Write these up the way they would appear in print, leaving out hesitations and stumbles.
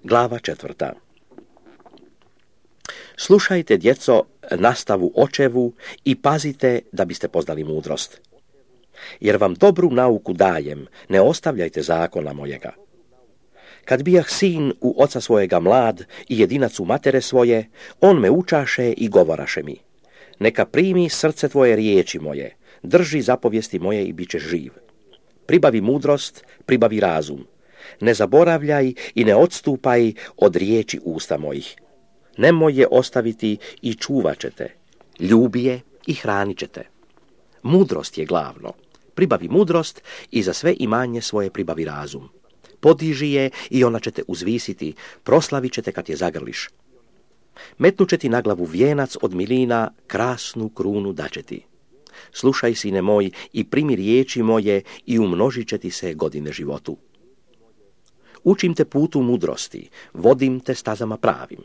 Glava 4. Slušajte, djeco, nastavu očevu i pazite da biste poznali mudrost. Jer vam dobru nauku dajem, ne ostavljajte zakona mojega. Kad bijah sin u oca svojega mlad i jedinac u matere svoje, on me učaše i govoraše mi. Neka primi srce tvoje riječi moje, drži zapovijesti moje i bit ćeš živ. Pribavi mudrost, pribavi razum. Ne zaboravljaj i ne odstupaj od riječi usta mojih. Nemoj je ostaviti i čuvat ćete. Ljubi je i hranit ćete. Mudrost je glavno. Pribavi mudrost i za sve imanje svoje pribavi razum. Podiži je i ona će te uzvisiti, proslavit će te kad je zagrliš. Metnut će ti na glavu vijenac od milina, krasnu krunu daće ti. Slušaj, sine moj, i primi riječi moje i umnožit će ti se godine životu. Učim te putu mudrosti, vodim te stazama pravim.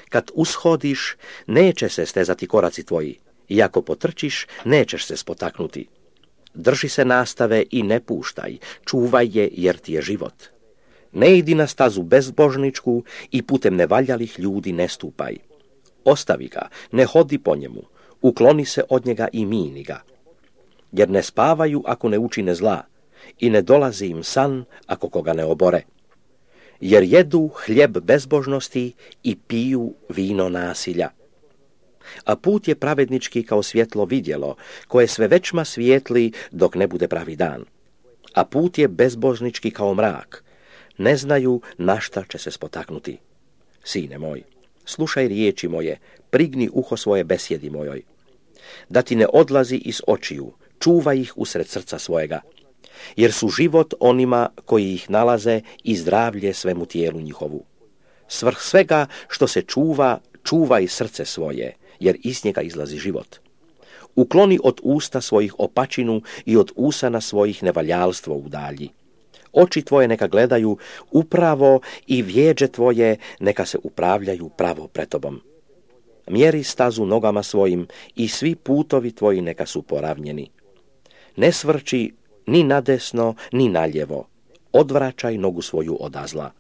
Kad ushodiš, neće se stezati koraci tvoji, i ako potrčiš, nećeš se spotaknuti. Drži se nastave i ne puštaj, čuvaj je jer ti je život. Ne idi na stazu bezbožničku i putem nevaljalih ljudi ne stupaj. Ostavi ga, ne hodi po njemu, ukloni se od njega i mini ga. Jer ne spavaju ako ne učine zla i ne dolazi im san ako koga ne obore. Jer jedu hljeb bezbožnosti i piju vino nasilja. A put je pravednički kao svjetlo vidjelo, koje sve većma svijetli dok ne bude pravi dan. A put je bezbožnički kao mrak, ne znaju na šta će se spotaknuti. Sine moj, slušaj riječi moje, prigni uho svoje besjedi mojoj. Da ti ne odlazi iz očiju, čuvaj ih usred srca svojega. Jer su život onima koji ih nalaze i zdravlje svemu tijelu njihovu. Svrh svega što se čuva, čuvaj srce svoje, jer iz njega izlazi život. Ukloni od usta svojih opačinu i od usana svojih nevaljalstvo udalji. Oči tvoje neka gledaju upravo i vjeđe tvoje neka se upravljaju pravo pred tobom. Mjeri stazu nogama svojim i svi putovi tvoji neka su poravnjeni. Ne svrči ni nadesno, ni naljevo. Odvraćaj nogu svoju od zla.